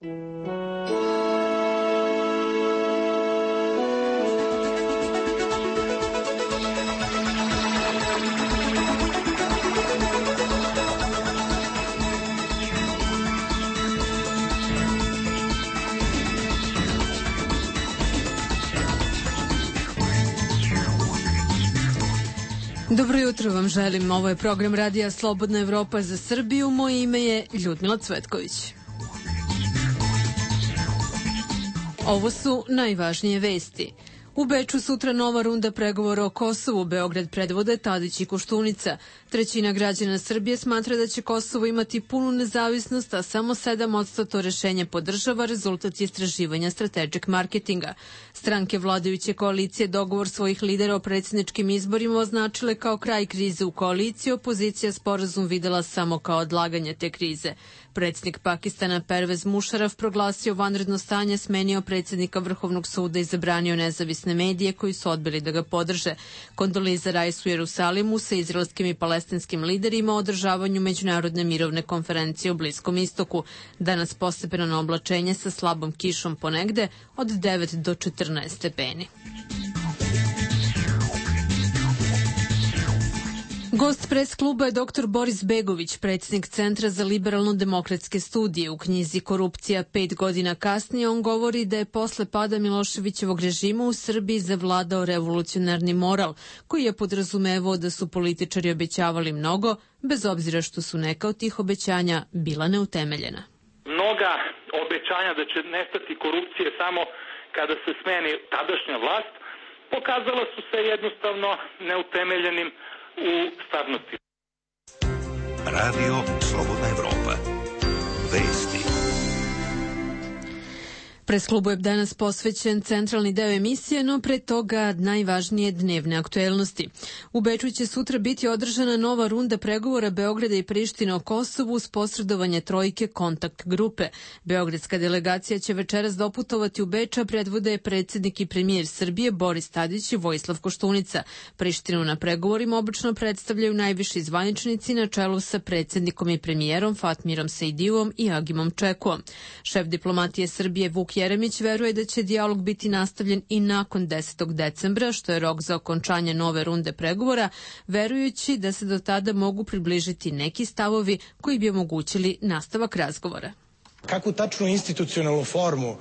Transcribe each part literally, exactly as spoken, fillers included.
Dobro jutro vam želim. Ovo je program Radija Slobodna Evropa za Srbiju. Moje ime je Ljudmila Cvetković. Ovo su najvažnije vesti. U Beču sutra nova runda pregovora o Kosovu. Beograd predvode Tadić i Koštunica. Trećina građana Srbije smatra da će Kosovo imati punu nezavisnost, a samo sedam posto to rešenje podržava, rezultat istraživanja Strategic Marketinga. Stranke vladajuće koalicije dogovor svojih lidera o predsjedničkim izborima označile kao kraj krize u koaliciji, opozicija sporazum videla samo kao odlaganje te krize. Predsjednik Pakistana Pervez Musharraf proglasio vanredno stanje, smenio predsjednika Vrhovnog suda i zabranio nezavisne medije koji su odbili da ga podrže. Kondoliza Rais u Jerusalimu sa izraelskim i palestinskim liderima o održavanju međunarodne mirovne konferencije u Bliskom istoku. Danas postepeno oblačenje sa slabom kišom ponegde od devet do četrnaest stepeni. Gost pres kluba je doktor Boris Begović, predsjednik Centra za liberalno-demokratske studije. U knjizi Korupcija pet godina kasnije on govori da je posle pada Miloševićevog režima u Srbiji zavladao revolucionarni moral, koji je podrazumevao da su političari obećavali mnogo, bez obzira što su neka od tih obećanja bila neutemeljena. Mnoga obećanja da će nestati korupcije samo kada se smeni tadašnja vlast, pokazala su se jednostavno neutemeljenim u stvarnosti. Radio Slobodna Evropa. Vesti. Pres klubu je danas posvećen centralni deo emisije, no pre toga najvažnije dnevne aktuelnosti. U Beču će sutra biti održana nova runda pregovora Beograda i Prištine o Kosovu uz posredovanje trojke kontakt grupe. Beogradska delegacija će večeras doputovati u Beč, a predvode je predsjednik i premijer Srbije Boris Tadić i Vojislav Koštunica. Prištinu na pregovorima obično predstavljaju najviši zvaničnici na čelu sa predsjednikom i premijerom Fatmirom Sejdijevom i Agimom Čekuom. Šef diplomatije Srbije Vuk Jeremić veruje da će dijalog biti nastavljen i nakon desetog decembra, što je rok za okončanje nove runde pregovora, verujući da se do tada mogu približiti neki stavovi koji bi omogućili nastavak razgovora. Kakvu tačnu institucionalnu formu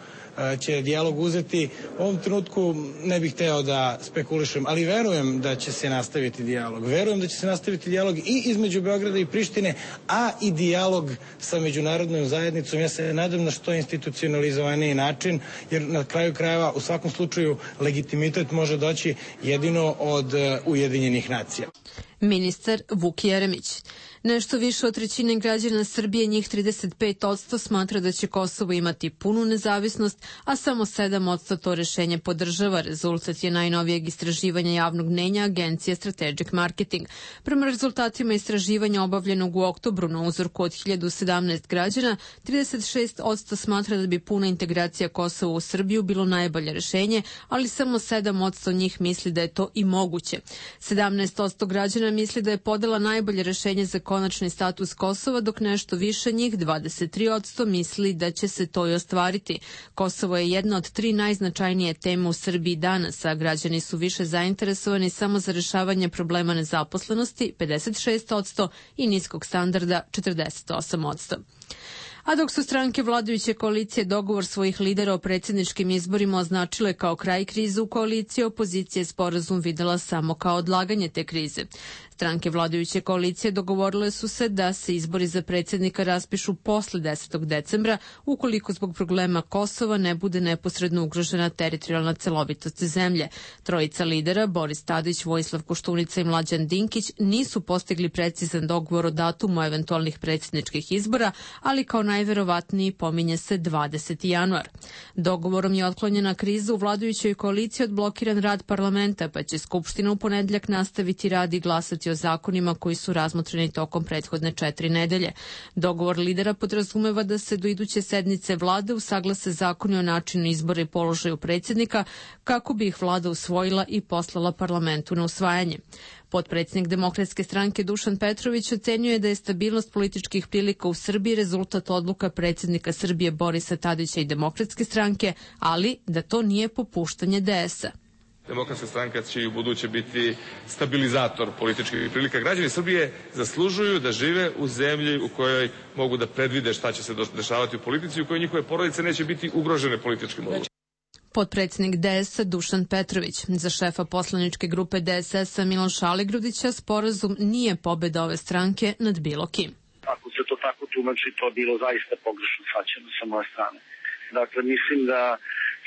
će dijalog uzeti, u ovom trenutku ne bih hteo da spekulišem, ali verujem da će se nastaviti dijalog. Verujem da će se nastaviti dijalog i između Beograda i Prištine, a i dijalog sa međunarodnom zajednicom. Ja se nadam na što institucionalizovaniji način, jer na kraju krajeva u svakom slučaju legitimitet može doći jedino od Ujedinjenih nacija. Ministar Vuk Jeremić. Nešto više od trećine građana Srbije, njih trideset pet posto, smatra da će Kosovo imati punu nezavisnost, a samo sedam posto to rešenje podržava. Rezultat je najnovijeg istraživanja javnog mnenja agencije Strategic Marketing. Prema rezultatima istraživanja obavljenog u oktobru na uzorku od hiljadu sedamnaest građana, trideset šest posto smatra da bi puna integracija Kosova u Srbiju bilo najbolje rešenje, ali samo sedam posto njih misli da je to i moguće. sedamnaest posto građana misli da je podela najbolje rešenje za konačni status Kosova, dok nešto više njih, dvadeset tri posto, misli da će se to i ostvariti. Kosovo je jedna od tri najznačajnije teme u Srbiji danas, a građani su više zainteresovani samo za rešavanje problema nezaposlenosti, pedeset šest posto, i niskog standarda, četrdeset osam posto. A dok su stranke vladajuće koalicije dogovor svojih lidera o predsjedničkim izborima označile kao kraj krize u koaliciji, opozicija je sporazum videla samo kao odlaganje te krize. Stranke vladajuće koalicije dogovorile su se da se izbori za predsjednika raspišu posle desetog decembra, ukoliko zbog problema Kosova ne bude neposredno ugrožena teritorijalna celovitost zemlje. Trojica lidera, Boris Tadić, Vojislav Koštunica i Mlađan Dinkić, nisu postigli precizan dogovor o datumu eventualnih predsjedničkih izbora, ali kao najverovatniji pominje se dvadeseti januar. Dogovorom je otklonjena kriza u vladajućoj koaliciji, odblokiran rad parlamenta, pa će Skupština u ponedjeljak nastaviti rad i glasati o o zakonima koji su razmotreni tokom prethodne četiri nedelje. Dogovor lidera podrazumeva da se do iduće sednice vlade usaglase zakoni o načinu izbora i položaju predsjednika kako bi ih vlada usvojila i poslala parlamentu na usvajanje. Potpredsjednik Demokratske stranke Dušan Petrović ocenjuje da je stabilnost političkih prilika u Srbiji rezultat odluka predsjednika Srbije Borisa Tadića i Demokratske stranke, ali da to nije popuštanje D S-a. Demokratska stranka će i u buduće biti stabilizator političkih prilika. Građani Srbije zaslužuju da žive u zemlji u kojoj mogu da predvide šta će se dešavati u politici, u kojoj njihove porodice neće biti ugrožene političkim odlukom. Potpredsjednik D S-a Dušan Petrović. Za šefa poslaničke grupe D S S-a Miloša Aligrudića sporazum nije pobeda ove stranke nad bilo kim. Ako se to tako tumači, to je bilo zaista pogrešno shvaćeno sa moje strane. Dakle, mislim da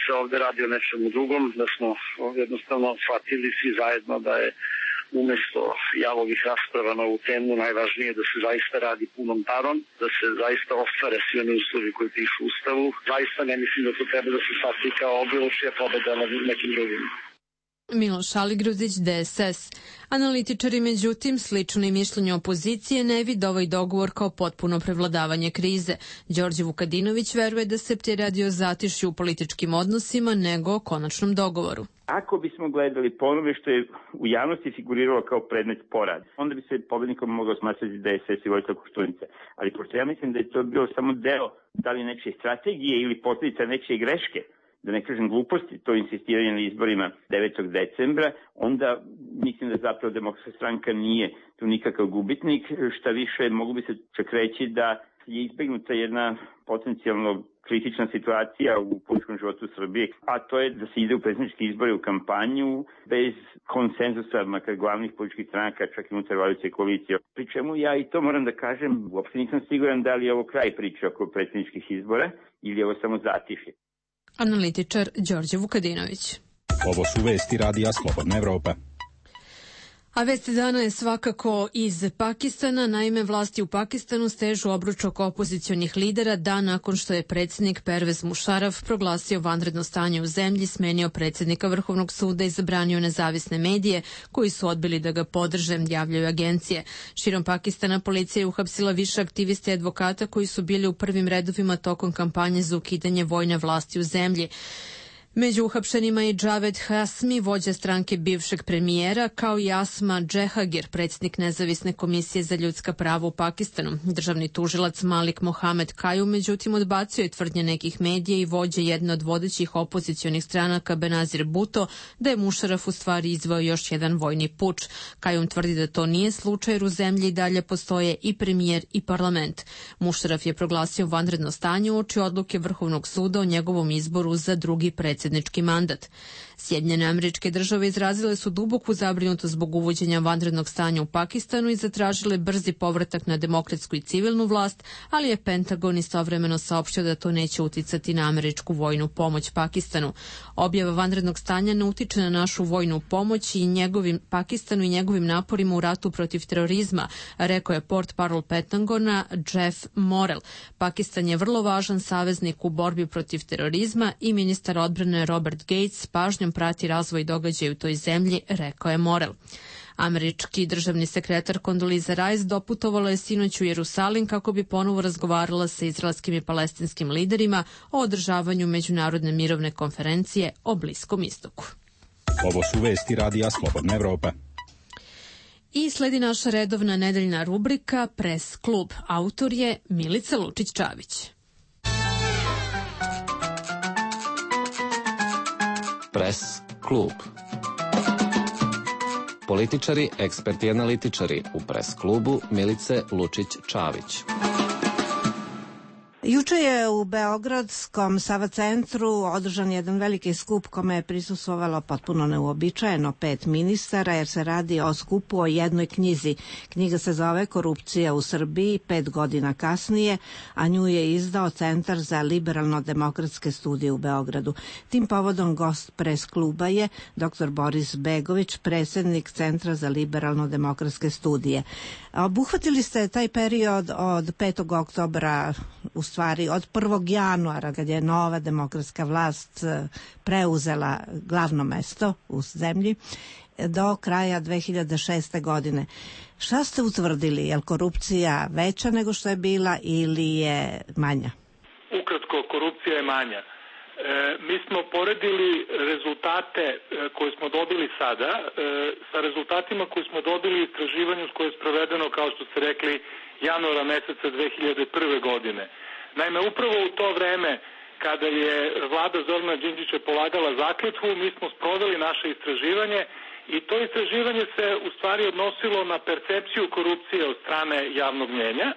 se ovde radi o nečemu drugom, da smo jednostavno shvatili svi zajedno da je umesto javovih rasprava na ovu temu najvažnije da se zaista radi punom parom, da se zaista ostvare svi oni uslovi koji pišu u Ustavu. Zaista ne mislim da to treba da se shvati kao bilo čija pobeda nad nekim drugim. Miloš Aligrudić, D S S. Analitičari, međutim, slično i mišljenju opozicije, ne vide ovaj dogovor kao potpuno prevladavanje krize. Đorđe Vukadinović veruje da se radi o zatišju u političkim odnosima nego o konačnom dogovoru. Ako bismo gledali po onome što je u javnosti figuriralo kao predmet spora, onda bi se pobednikom mogao smatrati D S S i Vojislav Koštunica. Ali pošto ja mislim da je to bio samo deo da li nečije strategije ili posljedica nečije greške, da ne kažem gluposti, to insistiranje na izborima devetog decembra, onda mislim da zapravo Demokratska stranka nije tu nikakav gubitnik. Šta više, mogu bi se čak reći da je izbegnuta jedna potencijalno kritična situacija u političkom životu Srbije, a to je da se ide u predsjedničke izbore u kampanju bez konsenzusa, makar glavnih političkih stranaka, čak i unutar vladajuće koalicije. Pri čemu ja i to moram da kažem, uopšte nisam siguran da li je ovo kraj priče oko predsjedničkih izbora ili je ovo samo zatišje. Analitičar Đorđe Vukadinović. Ovo su vesti radija Slobodna Evropa. A vest dana je svakako iz Pakistana. Naime, vlasti u Pakistanu stežu obruč oko opozicionih lidera dan nakon što je predsjednik Pervez Musharraf proglasio vanredno stanje u zemlji, smenio predsjednika Vrhovnog suda i zabranio nezavisne medije koji su odbili da ga podrže, javljaju agencije. Širom Pakistana policija je uhapsila više aktivista i advokata koji su bili u prvim redovima tokom kampanje za ukidanje vojne vlasti u zemlji. Među uhapšenima je Javed Hasmi, vođa stranke bivšeg premijera, kao i Asma Džehagir, predsjednik Nezavisne komisije za ljudska prava u Pakistanu. Državni tužilac Malik Mohamed Kaju, međutim, odbacio je tvrdnje nekih medija i vođe jedne od vodećih opozicionih stranaka Benazir Bhutto da je Musharraf u stvari izveo još jedan vojni puč. Kajum tvrdi da to nije slučaj jer u zemlji i dalje postoje i premijer i parlament. Musharraf je proglasio vanredno stanje uoči odluke Vrhovnog suda o njegovom izboru za drugi predsjednik predsjednički mandat. Sjedinjene Američke Države izrazile su duboku zabrinutost zbog uvođenja vanrednog stanja u Pakistanu i zatražile brzi povratak na demokratsku i civilnu vlast, ali je Pentagon istovremeno saopštio da to neće uticati na američku vojnu pomoć Pakistanu. Objava vanrednog stanja ne utiče na našu vojnu pomoć i njegovim Pakistanu i njegovim naporima u ratu protiv terorizma, rekao je portparol Pentagona Jeff Morrell. Pakistan je vrlo važan saveznik u borbi protiv terorizma i ministar odbrane Robert Gates pažnjom prati razvoj događaja u toj zemlji, rekao je Morrell. Američki državni sekretar Condoleezza Rice doputovala je sinoć u Jerusalim kako bi ponovo razgovarala sa izraelskim i palestinskim liderima o održavanju međunarodne mirovne konferencije o Bliskom istoku. Ovo su vesti radija Slobodna Evropa. I sledi naša redovna nedeljna rubrika Pres klub. Autor je Milica Lučić-Čavić. Pres klub. Političari, eksperti i analitičari u Pres klubu Milice Lučić-Čavić. Juče je u Beogradskom Sava centru održan jedan veliki skup kome je prisustvovalo potpuno neuobičajeno pet ministara, jer se radi o skupu o jednoj knjizi. Knjiga se zove Korupcija u Srbiji pet godina kasnije, a nju je izdao Centar za liberalno-demokratske studije u Beogradu. Tim povodom gost Pres kluba je doktor Boris Begović, predsjednik Centra za liberalno-demokratske studije. Obuhvatili ste taj period od petog oktobra, u stvari od prvog januara, kad je nova demokratska vlast preuzela glavno mesto u zemlji. do kraja dve hiljade šeste. godine. Šta ste utvrdili? Je li korupcija veća nego što je bila ili je manja? Ukratko, korupcija je manja. E, mi smo poredili rezultate e, koje smo dobili sada e, sa rezultatima koje smo dobili u istraživanju koje je sprovedeno, kao što ste rekli, januara meseca dve hiljade prve. godine. Naime, upravo u to vreme kada je vlada Zorana Đinđića polagala zakletvu, mi smo sproveli naše istraživanje i to istraživanje se u stvari odnosilo na percepciju korupcije od strane javnog mnjenja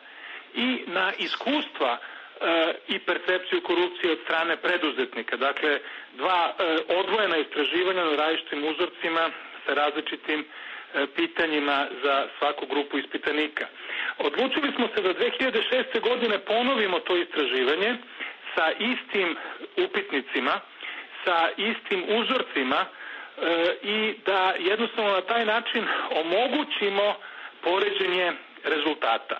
i na iskustva e, i percepciju korupcije od strane preduzetnika. Dakle, dva e, odvojena istraživanja na različitim uzorcima sa različitim e, pitanjima za svaku grupu ispitanika. Odlučili smo se da dve hiljade šeste. godine ponovimo to istraživanje sa istim upitnicima, sa istim uzorcima e, i da jednostavno na taj način omogućimo poređenje rezultata.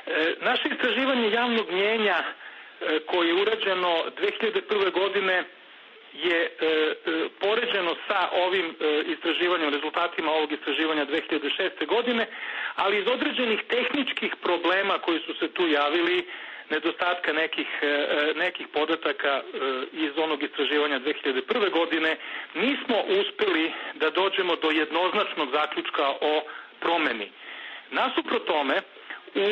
E, naše istraživanje javnog mnjenja e, koje je urađeno dve hiljade prve. godine je e, e, poređeno sa ovim e, istraživanjem, rezultatima ovog istraživanja dve hiljade šeste. godine, ali iz određenih tehničkih problema koji su se tu javili, nedostatka nekih, nekih podataka iz onog istraživanja dve hiljade prve. godine, nismo uspeli da dođemo do jednoznačnog zaključka o promeni. Nasuprot tome, u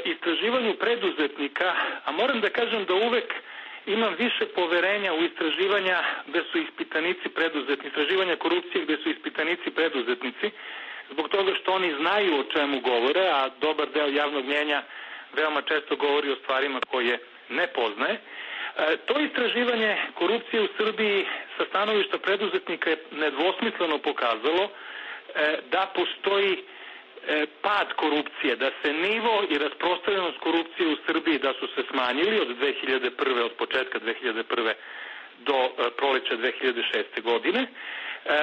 istraživanju preduzetnika, a moram da kažem da uvek imam više poverenja u istraživanja gde su ispitanici preduzetnici, istraživanja korupcije gde su ispitanici preduzetnici, zbog toga što oni znaju o čemu govore, a dobar deo javnog mnjenja veoma često govori o stvarima koje ne poznaje. E, to istraživanje korupcije u Srbiji sa stanovišta preduzetnika je nedvosmisleno pokazalo e, da postoji e, pad korupcije, da se nivo i rasprostranjenost korupcije u Srbiji da su se smanjili od dve hiljade prve. od početka dve hiljade prve. do e, proleća dve hiljade šeste. godine, e,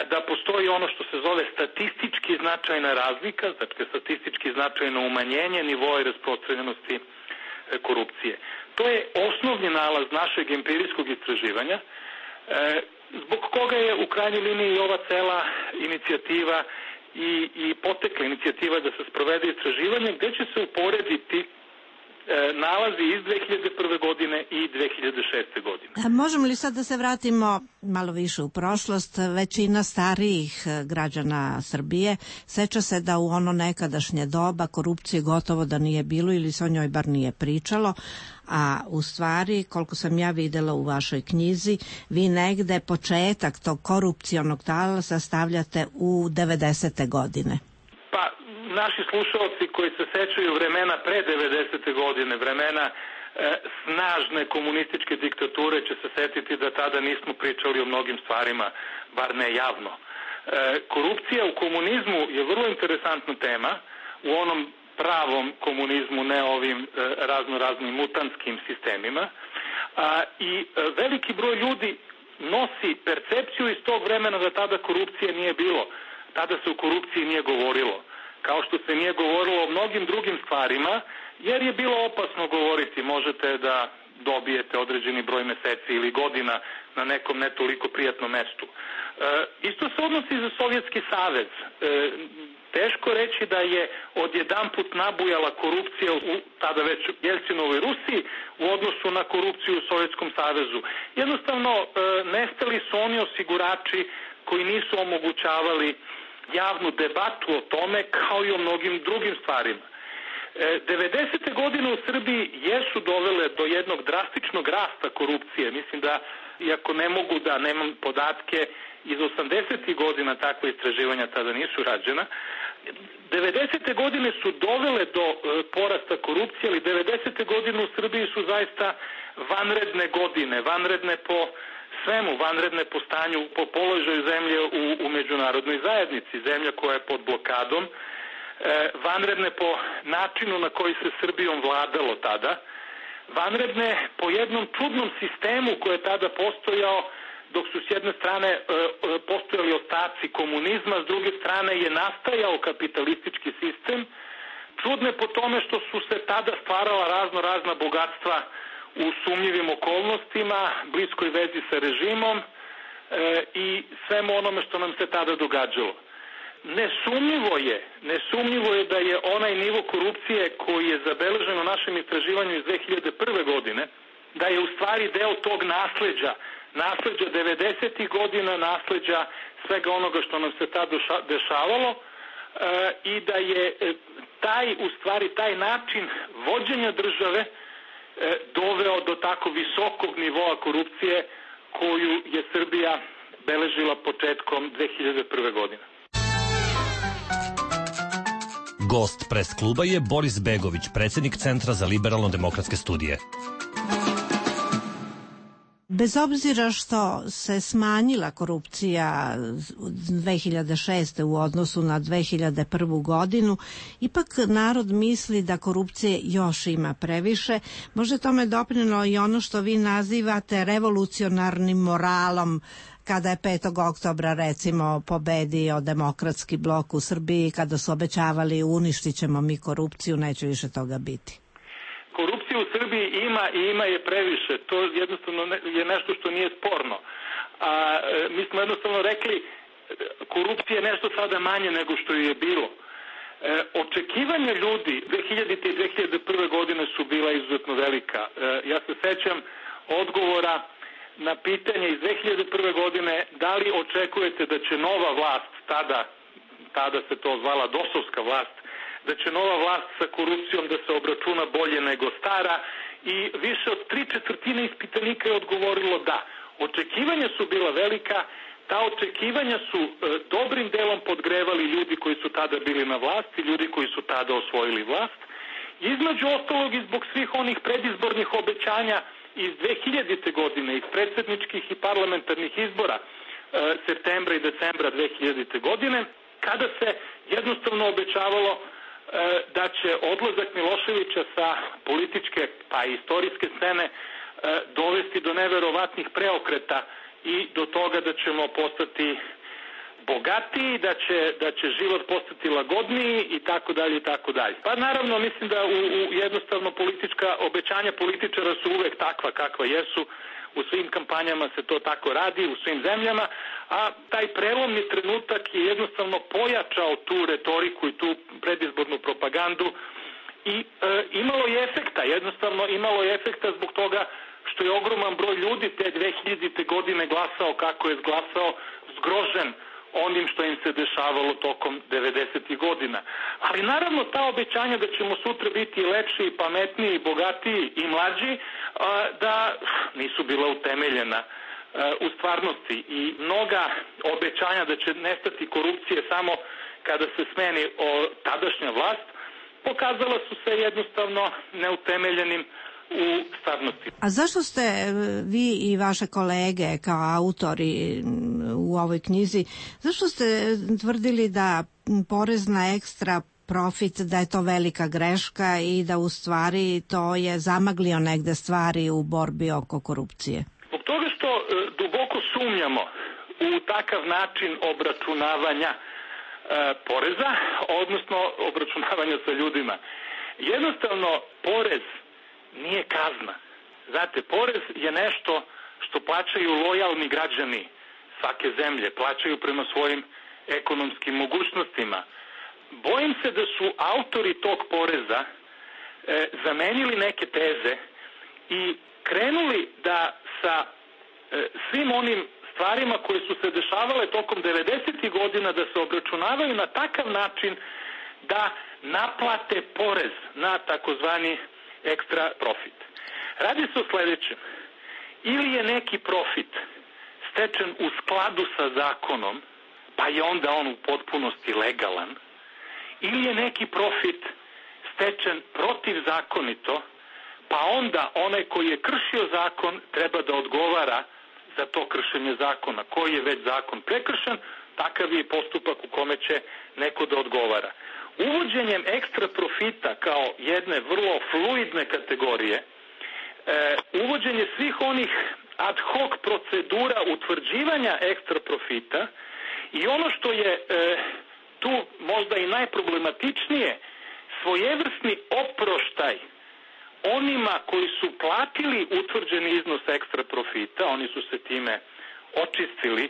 da postoji ono što se zove statistički značajna razlika, znači statistički značajno umanjenje nivoa i rasprostranjenosti e, korupcije. To je osnovni nalaz našeg empirijskog istraživanja, e, zbog koga je u krajnjoj liniji ova cela inicijativa i, i potekla inicijativa da se sprovede istraživanje gde će se uporediti nalazi iz dve hiljade prve. godine i dve hiljade šeste. godine. A možemo li sad da se vratimo malo više u prošlost? Većina starijih građana Srbije seća se da u ono nekadašnje doba korupcije gotovo da nije bilo ili se o njoj bar nije pričalo, a u stvari, koliko sam ja videla u vašoj knjizi, vi negde početak tog korupcionog talasa stavljate u devedesete. godine. Pa, naši slušalci koji se sećaju vremena pre devedesete. godine, vremena e, snažne komunističke diktature će se setiti da tada nismo pričali o mnogim stvarima, bar ne javno. E, korupcija u komunizmu je vrlo interesantna tema, u onom pravom komunizmu, ne ovim e, razno raznim mutantskim sistemima, a, i e, veliki broj ljudi nosi percepciju iz tog vremena da tada korupcije nije bilo. Tada se o korupciji nije govorilo, kao što se nije govorilo o mnogim drugim stvarima, jer je bilo opasno govoriti. Možete da dobijete određeni broj meseci ili godina na nekom ne toliko prijatnom mestu. E, isto se odnosi za Sovjetski savez. E, teško reći da je odjedanput nabujala korupcija u tada već Jelcinovoj Rusiji u odnosu na korupciju u Sovjetskom savezu. Jednostavno, e, nestali su oni osigurači koji nisu omogućavali javnu debatu o tome, kao i o mnogim drugim stvarima. E, devedesete. godine u Srbiji jesu dovele do jednog drastičnog rasta korupcije. Mislim da, iako ne mogu da nemam podatke, iz osamdesetih godina takve istraživanja tada nisu rađena. devedesete. godine su dovele do e, porasta korupcije, ali devedesete. godine u Srbiji su zaista vanredne godine, vanredne po svemu, vanredne po stanju, po položaju zemlje u, u međunarodnoj zajednici, zemlja koja je pod blokadom, e, vanredne po načinu na koji se Srbijom vladalo tada, vanredne po jednom čudnom sistemu koji je tada postojao, dok su s jedne strane e, postojali ostaci komunizma, s druge strane je nastajao kapitalistički sistem, čudne po tome što su se tada stvarala razno razna bogatstva u sumnjivim okolnostima, bliskoj vezi sa režimom, i svemu onome što nam se tada događalo. Nesumnjivo je, nesumnjivo je da je onaj nivo korupcije koji je zabeležen u našem istraživanju iz dve hiljade prve. godine, da je u stvari deo tog nasleđa, nasleđa devedesetih godina, nasleđa svega onoga što nam se tada dešavalo e, i da je taj, u stvari, taj način vođenja države e, doveo do tako visokog nivoa korupcije koju je Srbija beležila početkom dve hiljade prve. godine. Gost pres kluba je Boris Begović, predsednik Centra za liberalno-demokratske studije. Bez obzira što se smanjila korupcija dve hiljade šeste. u odnosu na dve hiljade prvu. godinu, ipak narod misli da korupcije još ima previše. Može tome doprinelo i ono što vi nazivate revolucionarnim moralom, kada je petog oktobra recimo pobedio demokratski blok u Srbiji, kada su obećavali uništit ćemo mi korupciju, neće više toga biti. Korupcije u Srbiji ima i ima je previše. To jednostavno je nešto što nije sporno. A, mi smo jednostavno rekli korupcija je nešto sada manje nego što je bilo. E, očekivanja ljudi dve hiljadite. i dve hiljade prve. godine su bila izuzetno velika. E, ja se sećam odgovora na pitanje iz dve hiljade prve. godine da li očekujete da će nova vlast, tada, tada se to zvala dosovska vlast, da će nova vlast sa korupcijom da se obračuna bolje nego stara i više od tri četvrtine ispitanika je odgovorilo da. Očekivanja su bila velika, ta očekivanja su e, dobrim delom podgrevali ljudi koji su tada bili na vlasti, ljudi koji su tada osvojili vlast. Između ostalog i zbog svih onih predizbornih obećanja iz dve hiljadite. godine, iz predsjedničkih i parlamentarnih izbora e, septembra i decembra dve hiljadite. godine, kada se jednostavno obećavalo da će odlazak Miloševića sa političke pa i istorijske scene dovesti do neverovatnih preokreta i do toga da ćemo postati bogatiji, da će, da će život postati lagodniji i tako dalje i tako dalje. Pa naravno mislim da u, u jednostavno politička obećanja političara su uvek takva kakva jesu. U svim kampanjama se to tako radi, u svim zemljama, a taj prelomni trenutak je jednostavno pojačao tu retoriku i tu predizbornu propagandu i e, imalo je efekta, jednostavno imalo je efekta zbog toga što je ogroman broj ljudi te dve hiljadite. godine glasao kako je glasao, zgrožen onim što im se dešavalo tokom devedesetih. godina. Ali naravno ta obećanja da ćemo sutra biti lepši, pametniji, bogatiji i mlađi, da nisu bila utemeljena u stvarnosti i mnoga obećanja da će nestati korupcije samo kada se smeni o tadašnja vlast, pokazala su se jednostavno neutemeljenim u stvarnosti. A zašto ste vi i vaše kolege kao autori u ovoj knjizi, zašto ste tvrdili da porez na ekstra profit, da je to velika greška i da u stvari to je zamaglio negde stvari u borbi oko korupcije? Zbog toga što e, duboko sumnjamo u takav način obračunavanja e, poreza, odnosno obračunavanja sa ljudima. Jednostavno, porez nije kazna. Znate, porez je nešto što plaćaju lojalni građani svake zemlje, plaćaju prema svojim ekonomskim mogućnostima. Bojim se da su autori tog poreza e, zamenili neke teze i krenuli da sa e, svim onim stvarima koje su se dešavale tokom devedesetih. godina da se obračunavaju na takav način da naplate porez na takozvani ekstra profit. Radi se o sledećem. Ili je neki profit stečen u skladu sa zakonom, pa je onda on u potpunosti legalan, ili je neki profit stečen protivzakonito, pa onda onaj koji je kršio zakon treba da odgovara za to kršenje zakona. Koji je već zakon prekršen, takav je postupak u kome će neko da odgovara. Uvođenjem ekstra profita kao jedne vrlo fluidne kategorije, e, uvođenje svih onih ad hoc procedura utvrđivanja ekstra profita i ono što je e, tu možda i najproblematičnije, svojevrsni oproštaj onima koji su platili utvrđeni iznos ekstra profita, oni su se time očistili,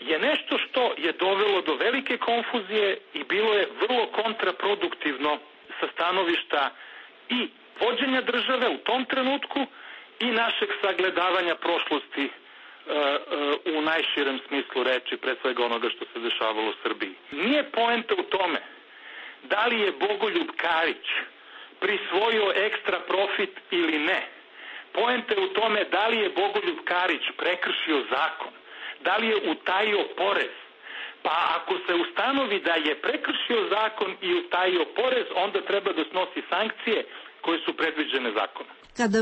je nešto što je dovelo do velike konfuzije i bilo je vrlo kontraproduktivno sa stanovišta i vođenja države u tom trenutku i našeg sagledavanja prošlosti e, e, u najširem smislu reči, pre svega onoga što se dešavalo u Srbiji. Nije poenta u tome da li je Bogoljub Karić prisvojio ekstra profit ili ne. Poenta je u tome da li je Bogoljub Karić prekršio zakon, da li je utajio porez. Pa ako se ustanovi da je prekršio zakon i utajio porez, onda treba da snosi sankcije koje su predviđene zakonom. Kada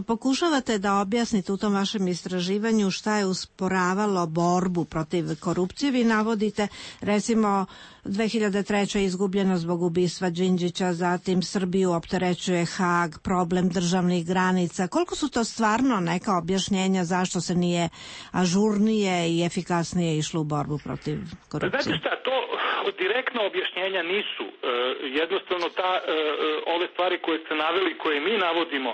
pokušavate da objasnite u tom vašem istraživanju šta je usporavalo borbu protiv korupcije, vi navodite recimo dve hiljade treće. je izgubljeno zbog ubistva Đinđića, zatim Srbiju opterećuje Hag, problem državnih granica. Koliko su to stvarno neka objašnjenja zašto se nije ažurnije i efikasnije išlo u borbu protiv korupcije? Znate šta, to direktna objašnjenja nisu. E, jednostavno ta, e, ove stvari koje ste naveli, koje mi navodimo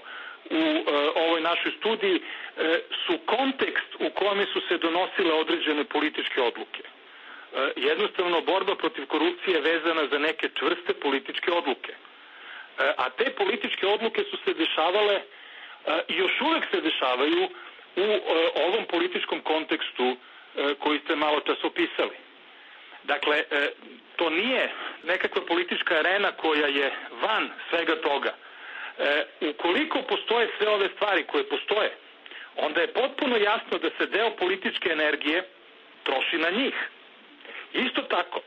u e, ovoj našoj studiji, e, su kontekst u kome su se donosile određene političke odluke. E, jednostavno, borba protiv korupcije je vezana za neke čvrste političke odluke. E, a te političke odluke su se dešavale e, i još uvek se dešavaju u e, ovom političkom kontekstu e, koji ste malo čas opisali. Dakle, e, to nije nekakva politička arena koja je van svega toga. E, ukoliko postoje sve ove stvari koje postoje, onda je potpuno jasno da se deo političke energije troši na njih. Isto tako,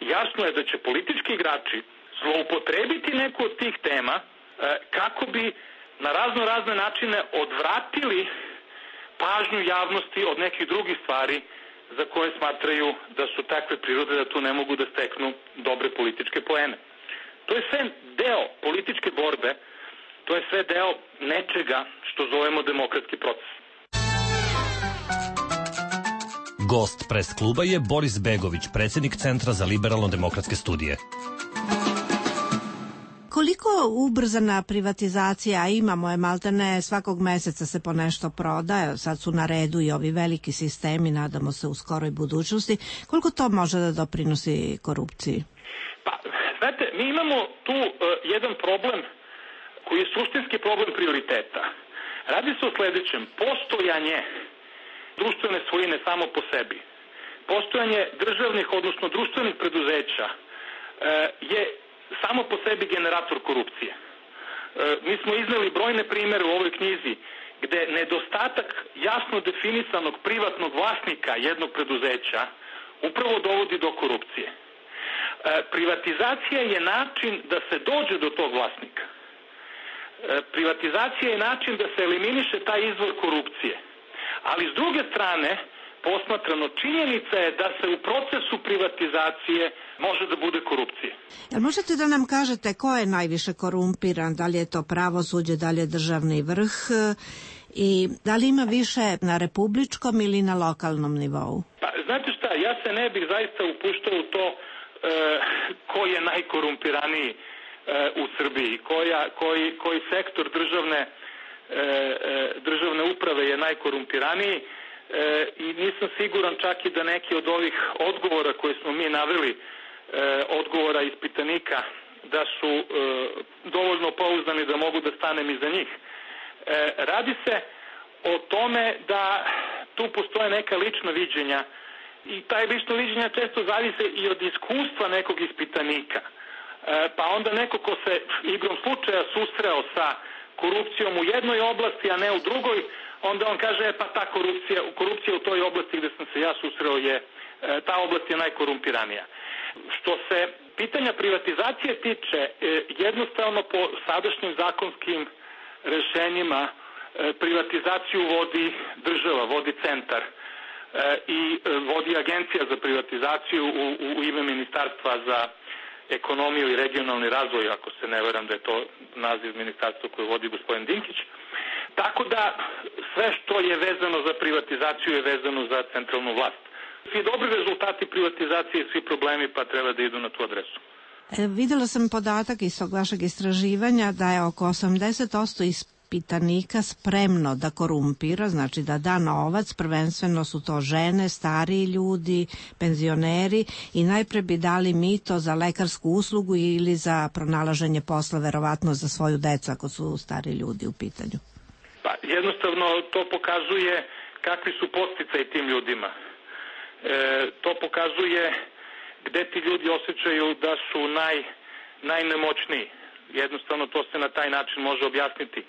jasno je da će politički igrači zloupotrebiti neku od tih tema e, kako bi na razno razne načine odvratili pažnju javnosti od nekih drugih stvari za koje smatraju da su takve prirode da tu ne mogu da steknu dobre političke poene. To je sve deo političke borbe, to je sve deo nečega što zovemo demokratski proces. Gost pres kluba je Boris Begović, predsjednik Centra za liberalno-demokratske studije. Koliko ubrzana privatizacija, a imamo je maltene, svakog meseca se po nešto prodaje, sad su na redu i ovi veliki sistemi, nadamo se u skoroj budućnosti, koliko to može da doprinosi korupciji? Pa, znate, mi imamo tu uh, jedan problem koji je suštinski problem prioriteta. Radi se o sledećem: postojanje društvene svojine samo po sebi, postojanje državnih, odnosno društvenih preduzeća uh, je samo po sebi generator korupcije. E, mi smo izneli brojne primere u ovoj knjizi gde nedostatak jasno definisanog privatnog vlasnika jednog preduzeća upravo dovodi do korupcije. E, privatizacija je način da se dođe do tog vlasnika. E, privatizacija je način da se eliminiše taj izvor korupcije. Ali s druge strane, posmatrano, činjenica je da se u procesu privatizacije može da bude korupcije. Jel možete da nam kažete ko je najviše korumpiran? Da li je to pravosuđe, da li je državni vrh i da li ima više na republičkom ili na lokalnom nivou? Pa, znate šta, ja se ne bih zaista upuštao u to e, ko je najkorumpiraniji e, u Srbiji, koja, koji, koji sektor državne, e, e, državne uprave je najkorumpiraniji. E, i nisam siguran čak i da neki od ovih odgovora koje smo mi naveli, e, odgovora ispitanika, da su e, dovoljno pouzdani da mogu da stanem iza njih. E, radi se o tome da tu postoje neka lična viđenja i taj lično viđenja često zavise i od iskustva nekog ispitanika. E, pa onda neko ko se igrom slučaja susreo sa korupcijom u jednoj oblasti, a ne u drugoj, onda on kaže, e, pa ta korupcija, korupcija u toj oblasti gde sam se ja susreo je, ta oblast je najkorumpiranija. Što se pitanja privatizacije tiče, jednostavno po sadašnjim zakonskim rešenjima privatizaciju vodi država, vodi centar i vodi agencija za privatizaciju u, u ime Ministarstva za ekonomiju i regionalni razvoj, ako se ne veram da je to naziv ministarstva koje vodi gospodin Dinkić. Tako da sve što je vezano za privatizaciju je vezano za centralnu vlast. Svi dobri rezultati privatizacije i svi problemi pa treba da idu na tu adresu. E, videla sam podatak iz tog vašeg istraživanja da je oko osamdeset posto ispitanika spremno da korumpira, znači da da novac, prvenstveno su to žene, stariji ljudi, penzioneri i najpre bi dali mito za lekarsku uslugu ili za pronalaženje posla, verovatno za svoju decu ako su stari ljudi u pitanju. Pa jednostavno to pokazuje kakvi su podsticaji tim ljudima. E, to pokazuje gde ti ljudi osjećaju da su naj, najnemoćniji. Jednostavno to se na taj način može objasniti.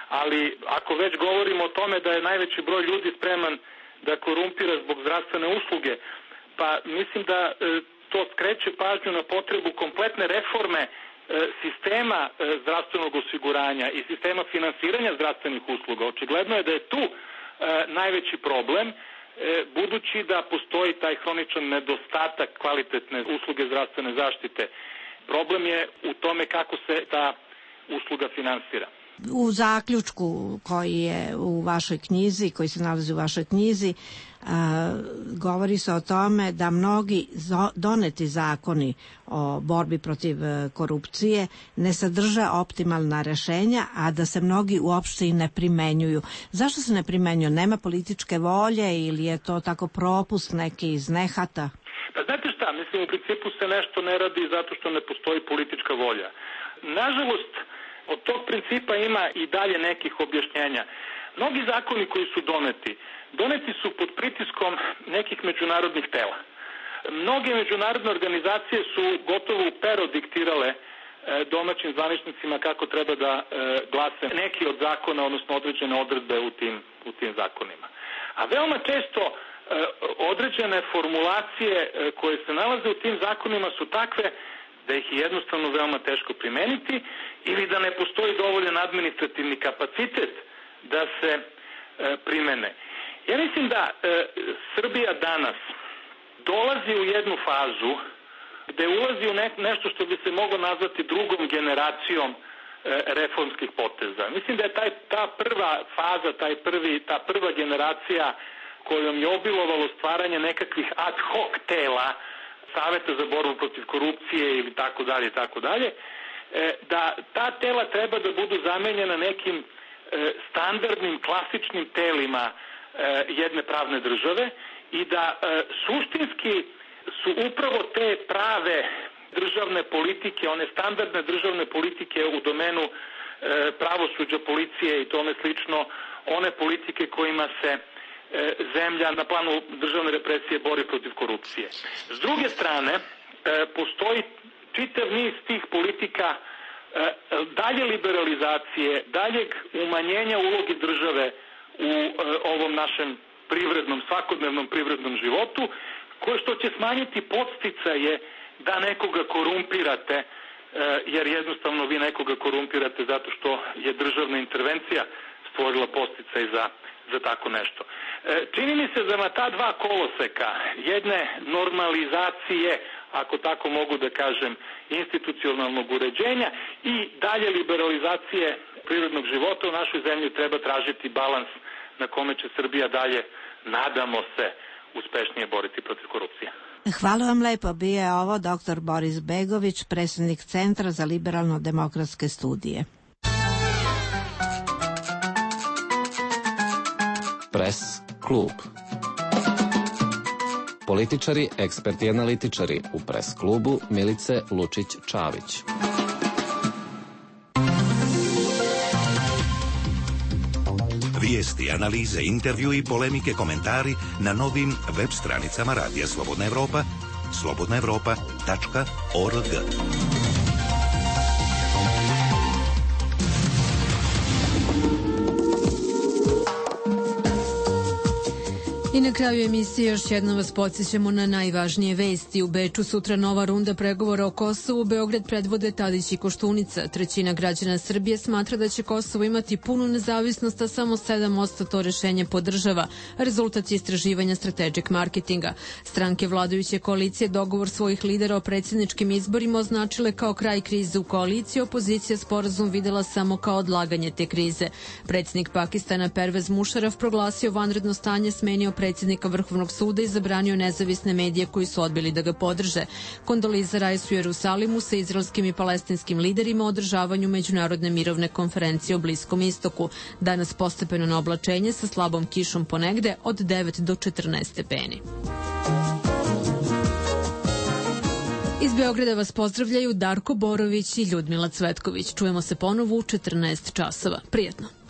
Ali ako već govorimo o tome da je najveći broj ljudi spreman da korumpira zbog zdravstvene usluge, pa mislim da e, to skreće pažnju na potrebu kompletne reforme e, sistema e, zdravstvenog osiguranja i sistema finansiranja zdravstvenih usluga. Očigledno je da je tu e, najveći problem, budući da postoji taj hroničan nedostatak kvalitetne usluge zdravstvene zaštite. Problem je u tome kako se ta usluga finansira. U zaključku koji je u vašoj knjizi, koji se nalazi u vašoj knjizi, a, govori se o tome da mnogi doneti zakoni o borbi protiv korupcije ne sadrže optimalna rešenja, a da se mnogi uopšte i ne primenjuju. Zašto se ne primenjuju? Nema političke volje ili je to tako propust neki iz nehata? Pa znate šta, mislim u principu se nešto ne radi zato što ne postoji politička volja. Nažalost, od tog principa ima i dalje nekih objašnjenja. Mnogi zakoni koji su doneti, doneti su pod pritiskom nekih međunarodnih tela. Mnoge međunarodne organizacije su gotovo u pero diktirale e, domaćim zvaničnicima kako treba da e, glase neki od zakona, odnosno određene odredbe u tim, u tim zakonima. A veoma često e, određene formulacije e, koje se nalaze u tim zakonima su takve da ih je jednostavno veoma teško primeniti ili da ne postoji dovoljan administrativni kapacitet da se e, primene. Ja mislim da e, Srbija danas dolazi u jednu fazu gde ulazi u ne, nešto što bi se moglo nazvati drugom generacijom e, reformskih poteza. Mislim da je taj, ta prva faza, taj prvi, ta prva generacija kojom je obilovalo stvaranje nekakvih ad hoc tela, Saveta za borbu protiv korupcije ili tako dalje, tako dalje, da ta tela treba da budu zamenjena nekim standardnim, klasičnim telima jedne pravne države i da suštinski su upravo te prave državne politike, one standardne državne politike u domenu pravosuđa, policije i tome slično, one politike kojima se zemlja na planu državne represije bori protiv korupcije. S druge strane, postoji čitav niz tih politika dalje liberalizacije, daljeg umanjenja uloge države u ovom našem privrednom, svakodnevnom privrednom životu, koje što će smanjiti podsticaje da nekoga korumpirate, jer jednostavno vi nekoga korumpirate zato što je državna intervencija stvorila podsticaj za za tako nešto. Čini mi se da na ta dva koloseka jedne normalizacije, ako tako mogu da kažem, institucionalnog uređenja i dalje liberalizacije prirodnog života u našoj zemlji treba tražiti balans na kome će Srbija dalje, nadamo se, uspešnije boriti protiv korupcije. Hvala vam lepo. Bio je ovo doktor Boris Begović, predsjednik Centra za liberalno-demokratske studije. Press klub. Političari, eksperti i analitičari u Press klubu Milice Lučić-Čavić. Vijesti, analize, intervju i polemike, komentari na novim web stranicama Radija Slobodna Evropa, slobodna evropa tačka org. I na kraju emisije još jednom vas podsjećamo na najvažnije vesti. U Beču sutra nova runda pregovora o Kosovu. Beograd predvode Tadić i Koštunica. Trećina građana Srbije smatra da će Kosovo imati punu nezavisnost, a samo sedam posto to rešenje podržava. Rezultat je istraživanja Strategic Marketinga. Stranke vladajuće koalicije dogovor svojih lidera o predsjedničkim izborima označile kao kraj krize u koaliciji. Opozicija sporazum videla samo kao odlaganje te krize. Predsjednik Pakistana Pervez Mušaraf proglasio vanredno stanje, smenio predsjednika Vrhovnog suda i zabranio nezavisne medije koji su odbili da ga podrže. Kondoliza Rais u Jerusalimu sa izraelskim i palestinskim liderima o održavanju međunarodne mirovne konferencije o Bliskom istoku. Danas postepeno na oblačenje sa slabom kišom ponegde od devet do četrnaest stepeni. Iz Beograda vas pozdravljaju Darko Borović i Ljudmila Cvetković. Čujemo se ponovo u četrnaest časova. Prijetno.